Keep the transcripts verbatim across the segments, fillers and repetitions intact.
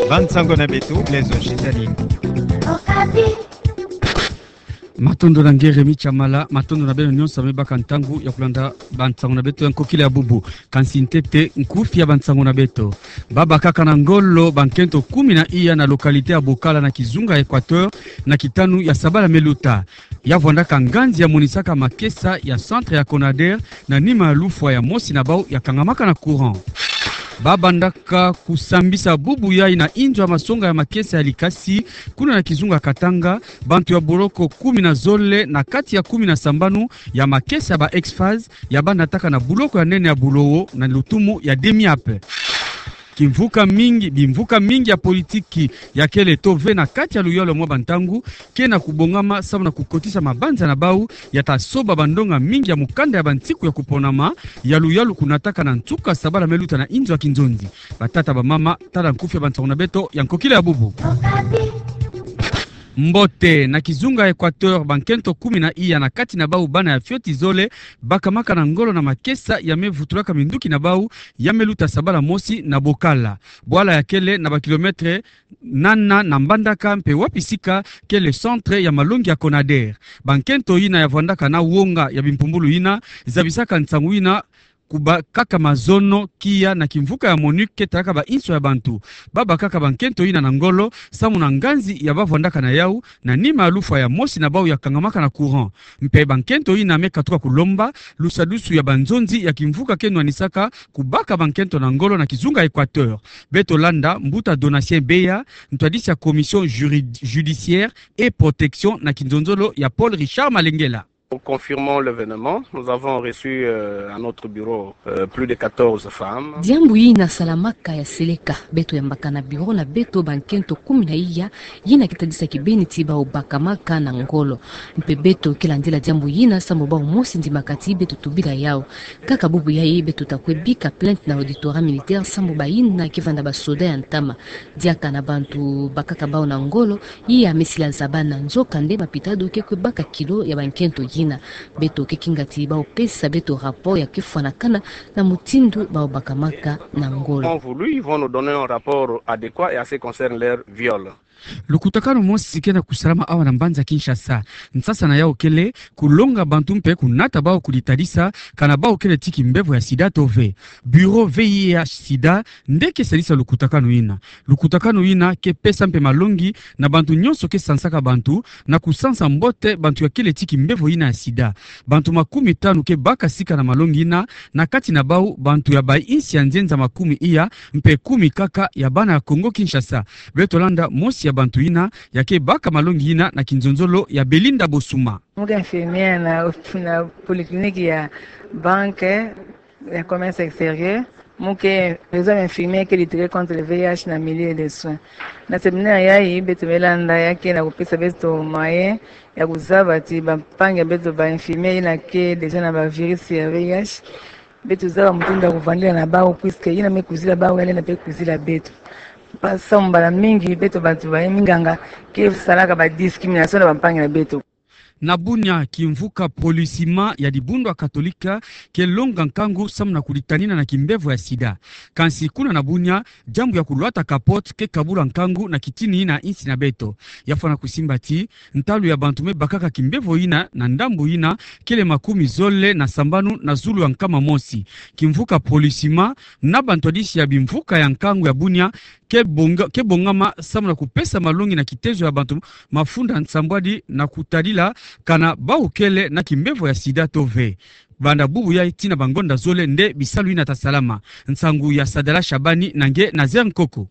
Bansango na beto, Blaise Shizani. Matondo na nge Remy Tshamala, matondo na beno nyonso me baka ntangu ya kulanda bansango na beto ya nkokila ya bubu. Kansi ntete nkufi ya bansango na beto. Babakaka na ngolo bankento kumi na iya na localité ya Bokala na kizunga Equateur na kitanu ya sabala me luta. Ya vwandaka nganzi ya monisaka makesa ya centre ya Conader na nima ya lufwa ya mosi na bau ya kangamaka na courant. Babandaka kusambisa bubu yai na inzo ya masonga ya makesa ya Likasi, kuna na kizunga Katanga, bantu ya boloko kumi na zole na kati ya kumi na sambanu ya makesa ya ba Exphase ya banataka na buloko ya nene ya Bulowo na lutumu ya Demiap. Kimvuka mingi, bimvuka mingi ya politiki ya kele to ve na kati ya luyalu mwa bantangu, ke na kubongama samu na kukotisa mabanza na bau ya ta soba bandonga mingi ya mukanda ya bantiku ya kuponama ya luyalu kunataka na nsuka sabala me luta na inzo ya kinzonzi. Batata, bamama, tala nkufi ya bansango na beto ya nkokila ya bubu. Mbote, na kizunga Equateur, bankento kumi na iya na kati na bau bana ya fioti zole bakamaka na ngolo na makesa ya me vutulaka minduki na bau ya me luta sabala mosi na Bokala. Bwala ya kele na ba kilomètre nana na Mbandaka mpe wapi sika kele centre ya malongi ya Conader. Bankento yina ya vwandaka na wonga ya bimpumbulu yina zabisaka nsangu yina kubakaka mazono kiya na kimvuka ya MONUC ke talaka ba inso ya bantu. Babakaka bankento yina na ngolo samu na nganzi ya bavwandaka na yau na nima ya lufwa ya mosi na bau ya kangamaka na courant. Mpe bankento yina me katuka kulomba lusadusu ya banzonzi ya kimvuka ke nwanisaka kubaka bankento na ngolo na kizunga Equateur. Beto landa mbuta Donatien Beya, ntwadisi ya Commission Juri-, Judiciaire et Protection na kinzonzolo ya Paul Richard Malengela. Nous confirmons l'événement. Nous avons reçu, euh, à notre bureau, euh, plus de quatorze femmes. Diambu yina salamaka ya seleka. Beto yambaka na bureau na beto bankento kumi na iya yina ke tadisa kibeni ti bau bakamaka na ngolo. Mpe beto ke landila diambu yina samu bau mosi ndimaka ti beto tubila yau. Kaka bubu yai beto ta kwe bika plainte na auditorat militaire samu bayina ke vanda basoda ya ntama. Diaka na bantu bakaka bau na ngolo, iya me sila zabana, nzokande mapitado ke kwe baka kilo ya bankento yina. Beto ke kinga ti bau pesa beto rapport ya ke fwanakana na mutindu bau bakamaka na ngolo. Ont voulu, ils vont nous donner un rapport adéquat et en ce qui concerne leur viol. Lukutakanu mosi ke na kusalama awa na mbanza Kinshasa. Nsasa na yau kele kulonga bantu mpe kunata bau kuditadisa kana bau kele ti kimbevo ya sida to ve. Bureau V I H sida nde ke salisa lukutakanu yina. Lukutakanu yina ke pesa mpe malongi na bantu nyonso ke sansaka bantu na kusansa mbote bantu ya kele ti kimbevo yina ya sida. Bantu makumi tanu ke baka sika na malongi yina, na kati na bau bantu ya bainsi ya nzenza makumi iya, mpe kumi kaka ya bana ya Kongo Kinshasa. Beto landa mosi ya bantu yina ya ke baka malongi yina na kinzonzolo ya Belinda Bosuma. Mu ke infirmière na, na polyclinique ya banque ya commerce extérieur. Mu ke réseau ya infirmière ke lutter contre le V I H na milieu de soins. Na séminaire yai beto me landa ya ke na kupesa beto moyen ya kuzaba ti bampangi ya beto ba infirmière yina ke déjà na ba virus ya V I H. Beto zaba mutindu ya kuvandila na bau, puisque yina me kuzila bau ya lenda mpe kuzila beto. Mpasi samu mbala mingi beto bantu ba minganga ke salaka ba discrimination na bampangi na beto. Na Bunia, kimvuka Policima ya dibundu ya Katolika ke longa nkangu samu na kuditanina na kimbevo ya sida. Kansi kuna na Bunia, diambu ya kulwata capote ke kabula nkangu na kitini yina insi na beto. Ya fwana kusimba ti ntalu ya bantu me bakaka kimbevo yina na ndambu yina kele makumi zole na sambanu na zulu ya nkama mosi. Kimvuka Policima na bantwadisi ya bimvuka ya nkangu ya Bunia ke bonga-, ke bongama samu na kupesa malongi na kitezo ya bantu mafunda nsambwadi na kutadila kana bau kele na kimbevo ya sida to ve. Banda bubu yai tii na bangonda zole nde bisalu yina ta salama. Nsangu ya Sadala Shabani na nge Nazer Nkoko.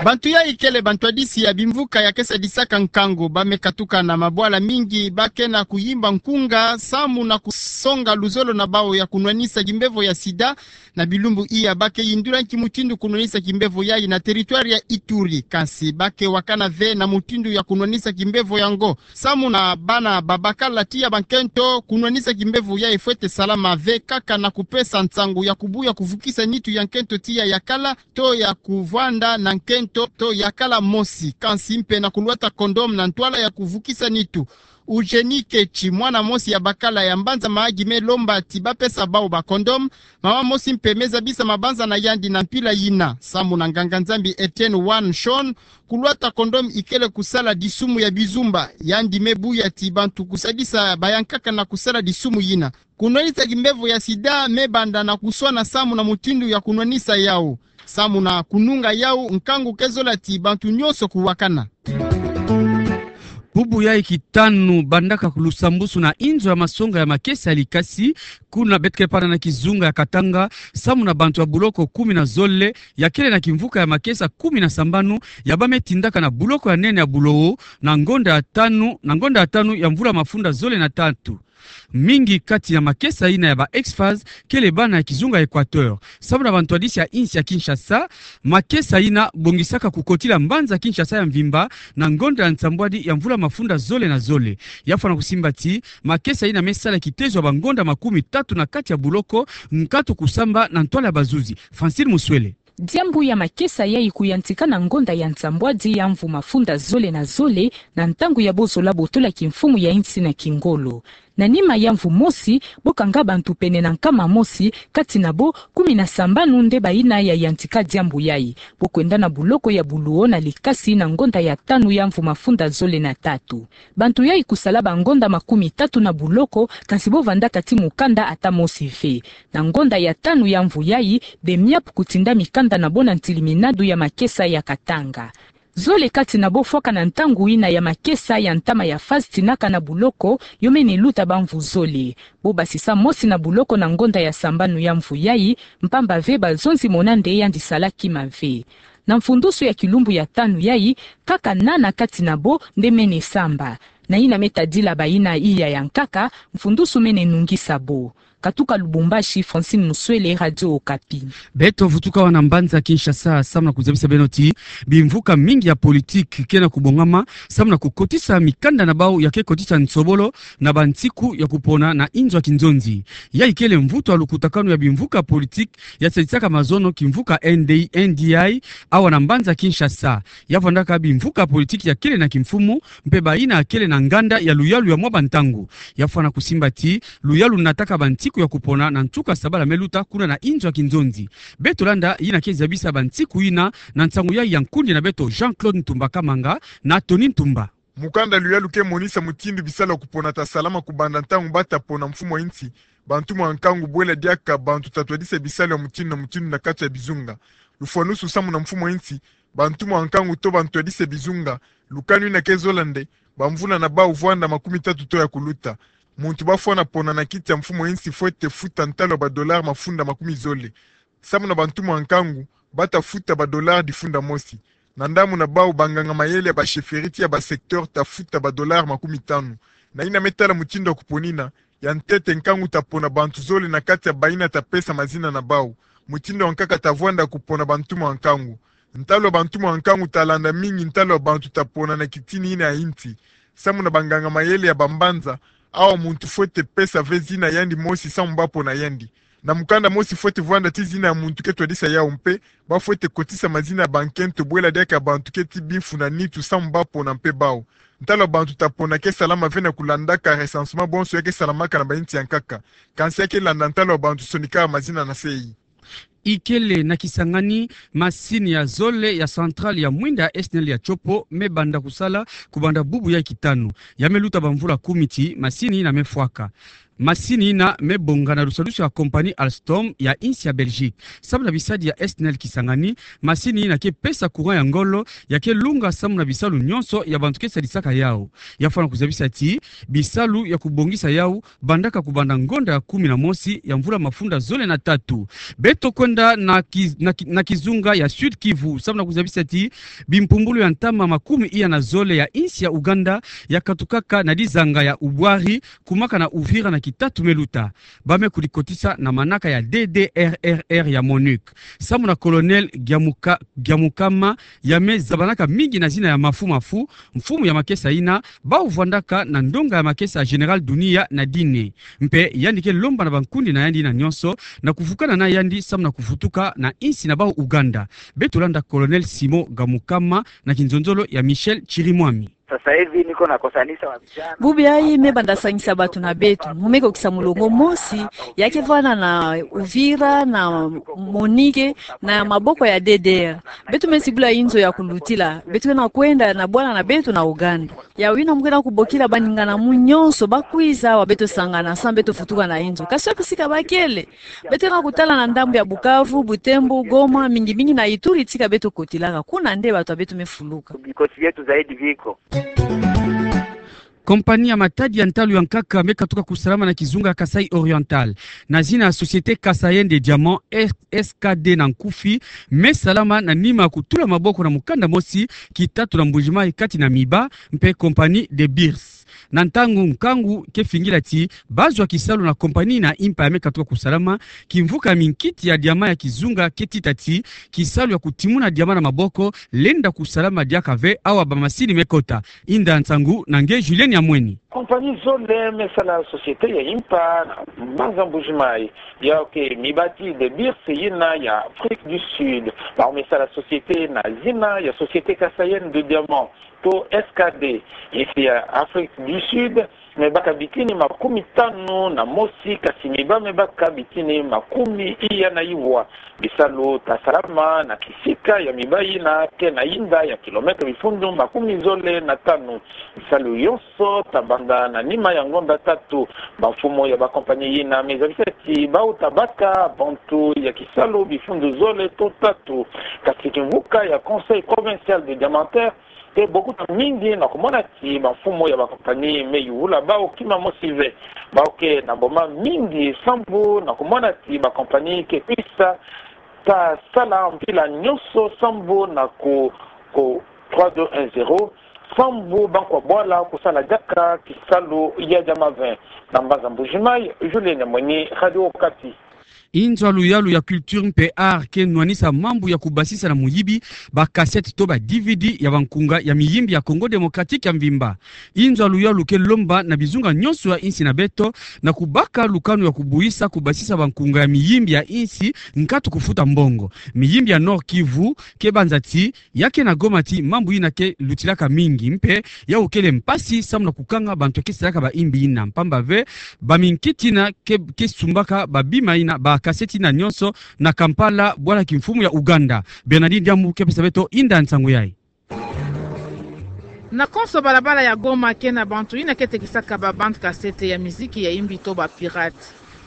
Bantu yai kele bantwadisi ya bimvuka ya ke sadisaka nkangu, ba me katuka na mabwala mingi, ba ke na kuyimba nkunga samu na kusonga luzolo na bau ya kunwanisa kimbevo ya sida. Na bilumbu iya ba ke yindula nki mutindu kunwanisa kimbevo yai na territoire ya Ituri, kansi ba ke wakana ve na mutindu ya kunwanisa kimbevo yango. Samu na bana ba bakala tii ya bankento, kunwanisa kimbevo yai fwete salama ve kaka na kupesa nsangu ya kubuya kuvukisa nitu ya nkento tii ya yakala, to ya kuvwanda na nkento to yakala mosi, kansi mpe na kulwata condom na ntwala ya kuvukisa nitu. Eugénie Ketshi, mwana mosi ya bakala ya mbanza Mahagi, me lomba ti bapesa bawu ba condom. Mama mosi mpe me zabisa mabanza na yandi na mpila yina. Samu na nganga-Nzambi Etienne Wan Shon, kulwata condom ikele kusala disumu ya bizumba. Yandi me buya ti bantu kusadisa bayankaka na kusala disumu yina. Kunwanisa kimbevo ya sida me banda na kuswana samu na mutindu ya kunwanisa yawu. Samu na kununga yawu, nkangu ke zola ti bantu nyonso kuwakana. Bubu yayi kitanu bandaka lusambusu na inzo ya masonga ya makesa ya likasi, kuna beto ke pana na kizunga ya Katanga, samu na bantu ya buloko kumi na zole, ya kele na kimvuka ya makesa kumi na sambanu, ya ba me tindaka na buloko ya nene ya Bulowo, na ngonda ya tanu, na ngonda ya tanu ya mvula mafunda zole na tatu. Mingi kati ya makesa yina ya ba ex-FAST kele bana ya kizunga Equateur. Samu na bantwadisi ya insi ya Kinshasa, makesa yina bongisaka kukotila mbanza Kinshasa ya mvimba na ngonda ya nsambwadi ya mvula mafunda zole na zole. Ya fwana kusimba ti makesa yina me sala kitezo ya bangonda makumi tatu na kati ya buloko, nkatu kusamba na ntwala ya bazuzi. Francine Muswele. Diambu ya makesa yayi kuyantika na ngonda ya nsambwadi ya mvu mafunda zole na zole, na ntangu ya bozola botola kimfumu ya insi na kingolo. Na nima ya mvu mosi, bo kanga bantu pene na nkama mosi, kati na bo kumi na sambanu nde bayina ya yantika diambu yayi. Bo kwenda na buloko ya Bulowo na likasi na ngonda ya tanu ya mvu mafunda zole na tatu. Bantu yayi kusala bangonda makumi tatu na buloko, kansi bo vandaka ti mukanda ata mosi ve. Na ngonda ya tanu ya mvu yayi, BEMYAP kutinda mikanda na bo na ntiliminadu ya makesa ya Katanga. Zole kati na bo fwaka na ntangu yina ya makesa ya ntama ya FAST tinaka na buloko, yo mene luta bamvu zole. Bo basisa mosi na buloko na ngonda ya sambanu ya mvu yayi, mpamba ve bazonzi mona nde yandi sala kima ve. Na mfundusu ya kilumbu ya tanu yayi, kaka nana kati na bo nde mene samba. Na yina me tadila bayina iya ya nkaka, mfundusu mene nungisa bo. Katuka Lubumbashi, Francine Muswele, Radio Okapi. Beto vutuka awa na mbanza Kinshasa, samu na kuzabisa beno ti bimvuka mingi ya politiki ke na kubongama, samu na kukotisa mikanda na bawu ya ke kotisa nsobolo na bansiku ya kupona na inzo ya kinzonzi. Yayi kele mvutu ya lukutakanu ya bimvuka politiki ya sadisaka mazono kimvuka N D, N D I, awa na mbanza Kinshasa. Ya vandaka bimvuka politiki ya kele na kimfumu, mpe bayina ya kele na nganda ya luyalu ya mwa bantangu. Ya fwana kusimba ti luyalu nataka bansiku ya kupona na nsuka sabala me luta kuna na inzo ya kinzonzi. Beto landa yina ke zabisa bansiku yina na nsangu ya, ya nkundi na beto Jean-Claude Ntumba Kamanga na Tony Ntumba. Mukanda luyalu ke monisa mutindu bisalu ya kupona ta salama kubanda ntangu ba ta pona mfumu ya insi, bantu mwa nkangu bwela diaka bantu ta twadisa bisalu ya mutindu na mutindu na kati ya bizunga. Lufwanusu samu na mfumu ya insi, bantu mwa nkangu to bantwadisi ya bizunga, lukanu yina ke zola nde, bamvula na bawu vwanda makumi tatu to ya kuluta. Muntu ba fwana pona na kiti ya mfumu ya insi fwete futa ntalu ya ba dollars mafunda makumi zole. Samu na bantu mwa nkangu, ba ta futa ba dollars difunda mosi. Na ndambu na bawu banganga mayele ya ba chefferie ti ya ba secteur ta futa ba dollars makumi tanu. Na yina me tala mutindu ya kupona yina, ya ntete nkangu ta pona bantu zole na kati ya bayina ta pesa mazina na bawu. Mutindu ya nkaka ta vwanda kupona bantu mwa nkangu. Ntalu ya bantu mwa nkangu ta landa mingi ntalu ya bantu ta pona na kitini yina ya insi. Samu na banganga mayele ya bambanza, awa muntu fwete pesa ve zina yandi mosi samu ba pona yandi. Na mukanda mosi fwete vwanda ti zina ya muntu ke twadisa yawu mpe, ba fwete kotisa mazina ya bankento bwela diaka bantu ke ti bimfu na nitu samu ba pona mpe bawu. Ntalu ya bantu ta pona ke salama ve na kulandaka recensement bonso ya ke salamaka na ba insi ya nkaka. Kansi ya ke landa ntalu ya bantu sonikaka mazina na se yi. Ikele na Kisangani, masini ya zole ya centrale ya mwinda ya S N E L ya Tshopo me banda kusala kubanda bubu ya kitanu. Ya me luta bamvula kumi ti masini yina me fwaka. Masini yina me bonga na lusadusu ya compagnie Alstom ya insi ya Belgique. Samu na bisadi ya S N E L Kisangani, masini yina ke pesa courant ya ngolo, ya ke lunga samu na bisalu nyonso ya bantu ke sadisaka yawu. Ya fwana kuzabisa ti bisalu ya kubongisa yawu bandaka kubanda ngonda ya kumi na mosi ya mvula mafunda zole na tatu. Beto kwenda na ki-, na ki-, na kizunga ya Sud-Kivu, samu na kuzabisa ti bimpumbulu ya ntama makumi iya na zole ya insi ya Ouganda ya katukaka na dizanga ya Ubwari, kumaka na Uvira na kitatu me luta. Ba me kudikotisa na manaka ya D D R R R ya MONUC. Samu na Colonel Giamuka-, Giamukama, ya me zabanaka mingi na zina ya Mafu Mafu, mfumu ya makesa yina, bawu vwandaka na ndonga ya makesa ya Général Dunia na Dine. Mpe yandi ke lomba na bankundi na yandi yina nyonso na kuvukana na yandi samu na kuvutuka na insi na bawu Ouganda. Beto landa Colonel Simon Giamukama na kinzonzolo ya Michel Chirimwami. Sasa hivi niko nakosanisha wa vijana. Bubu yayi me banda sangisa bato na beto, mu me kokisa mulongo mosi, ya ke vwanda na Uvira, na Monike, na maboko ya D D R. Beto me zibula inzo ya kulutila, beto ke na kwenda na bwala na beto na Ouganda. Ya wina mu ke na kubokila baningana mu nyonso, ba kwiza awa beto sangana, samu beto futuka na inzo. Kasi wapi sika ba kele? Beto ke na kutala na ndambu ya Bukavu, Butembo, Goma, mingi mingi na Ituri, tika beto kotilaka. Kuna nde bato ya beto me fuluka. Bikoti bieto zaidi biko. Kompani ya matadi ya ntalu ya nkaka me katuka kusalama na kizunga Kasaï Oriental, na zina ya Société Kasaïenne des Diamants, S K D na nkufi, me salama na nima ya kutula maboko na mukanda mosi kitatu na Mbuji-Mayi kati na Miba mpe kompani De Beers. Na ntangu nkangu ke fingila ti bazwa kisalu na kompani na impa ya me katuka kusalama, kimvuka ya minkiti ya diamant ya kizunga ke tita ti kisalu ya kutimuna diamant na maboko lenda kusalama diaka ve awa bamasini me kota. Inda nsangu na nge Julien Nyamweni. Kompani zole me sala société ya impa na mbanza Mbuji-Mayi. Ya ke Miba ti De Beers yina ya Afrique du Sud. Bawu me sala société na zina ya Société Kasaïenne de Diamant, to S K D, insi ya Afrique du Sud, me baka bitini makumi tanu na mosi, kasi Miba me baka bitini makumi iya na iwa. Bisalu ta salama na kisika ya Miba yina ke na inda ya kilomètre bifundu makumi zole na tanu. Bisalu yonso ta banda na nima ya ngonda tatu. Bamfumu ya bakompani yina me zabisa ti bawu ta baka bantu ya kisalu bifundu zole to tatu. Kasi kimvuka ya Conseil Provincial des Diamantaires ke bokuta mingi na kumona ti bamfumu ya bakompani me yula bawu kima mosi ve. Bawu ke na boma mingi sambu na kumona ti bakompani ke kwisa ta sala mpila nyonso sambu na ku, ku trois deux un zéro, sambu bankwa bwala kusala diaka kisalu ya diamant ve. Na mbanza Mbuji-Mayi, Julien Nyamweni, Radio Okapi. Inzo ya luyalu ya culture mpe art ke nwanisa mambu ya kubasisa na muyibi ba cassette to ba D V D ya bankunga ya miyimbi ya Congo Démocratique ya mvimba. Inzo ya luyalu ke lomba na bizunga nyonso ya insi na beto na kubaka lukanu ya kubuyisa kubasisa bankunga ya miyimbi ya insi nkatu kufuta mbongo. Miyimbi ya Nord-Kivu ke banza ti ya ke na Goma ti mambu yina ke lutilaka mingi, mpe yawu kele mpasi samu na kukanga bantu ke salaka bayimbi yina, mpamba ve baminkiti yina ke, ke sumbaka babima yina, ba cassette yina nyonso na Kampala, bwala kimfumu ya Uganda. Bernardine Diambu ke pesa beto inda nsangu yayi. Na konso balabala ya Goma ke na bantu yina ke tekisaka ba bande cassette ya miziki ya yimbi to ba pirate.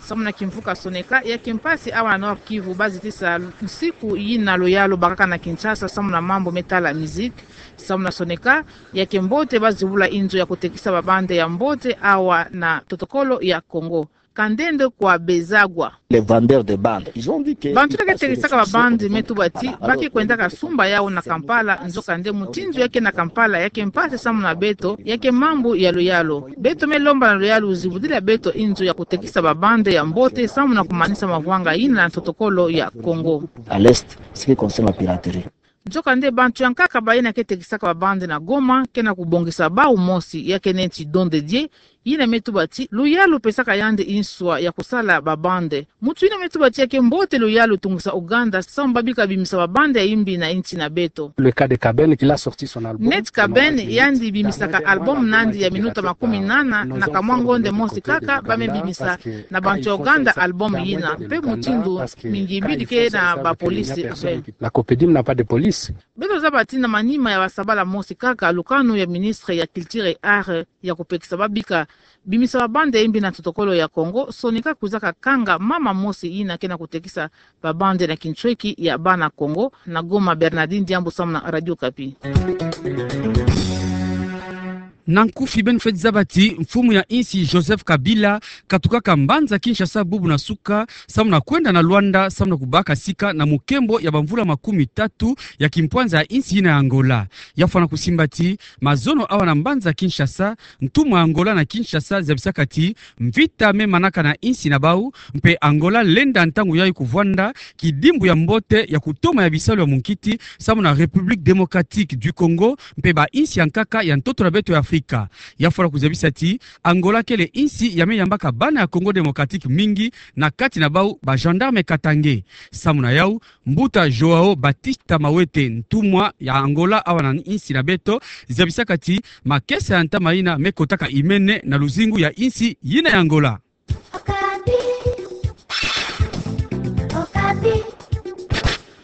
Samu na kimvuka Soneka, ya ke mpasi awa na Nord-Kivu ba zitisa nsiku yina luyalu bakaka na Kinshasa samu na mambu me tala miziki. Samu na Soneka, ya ke mbote ba zibula inzo ya kutekisa ba bande ya mbote awa na totokolo ya Congo. Kandende kwa Bezagwa. Les vendeurs de bande, ils ont dit que bantu yina ke tekisaka ba bande me tuba ti ba ke kwendaka sumba yawu na Kampala, nzokande mutindu ya ke na Kampala ya ke mpasi samu na beto, ya ke mambu ya luyalu. Beto me lomba na luyalu zibudila beto inzo ya kutekisa ba bande ya mbote samu na kumanisa mavwanga yina na totokolo ya Congo. À l'est, ce qui concerne la piraterie. Nzokande bantu ya nkaka bayina ke tekisaka ba bande na Goma ke na kubongisa bawu mosi, ya ke neti Don de Dieu, yina me tuba ti luyalu pesaka yandi nswa ya kusala ba bande. Muntu yina me tuba ti ya ke mbote luyalu tungisa Uganda samu ba bika bimisa ba bande ya yimbi na insi na beto. Le cas de Kaben, il a sorti son album. Neti Kaben, yandi bimisaka album nandi ya minuta makumi nana, na kamwa ngonde mosi kaka ba me bimisa na bantu ya Uganda album yina, mpe mutindu mingi bidi ke na ba police ve. La Copedine n'a pas de police. Beto zaba ti na manima ya basabala mosi kaka, lukanu ya ministre ya culture et art ya kupekisa ba bika bimisa ba bande ya yimbi na totokolo ya Congo, Soneka kwizaka kanga mama mosi yina ke na kutekisa ba bande na kintweki ya bana Congo. Na Goma, Bernardine Diambu samu na Radio Okapi. Na nkufi beno fweti zaba ti mfumu ya insi Joseph Kabila katukaka mbanza Kinshasa bubu na suka samu na kwenda na Luanda samu na kubaka sika na mukembo ya bamvula makumi tatu ya kimpwanza ya insi yina ya Angola. Ya fwana kusimba ti mazono awa na mbanza Kinshasa, ntumwa Angola na Kinshasa zabisaka ti mvita me manaka na insi na bawu, mpe Angola lenda ntangu yayi kuvwanda kidimbu ya mbote ya kutoma ya bisalu ya munkiti samu na République Démocratique du Congo mpe ba insi ya nkaka ya ntoto na beto ya Afrika. Afrika. Ya fura kuzabisa ti Angola kele insi ya me yambaka bana ya Congo Démocratique mingi, na kati na bau ba gendarme Katangais. Samu na yau, mbuta João Baptista Mawete, ntumwa ya Angola awa na insi na beto, zabisaka ti makesa ya ntama yina me kotaka imene na luzingu ya insi yina ya Angola.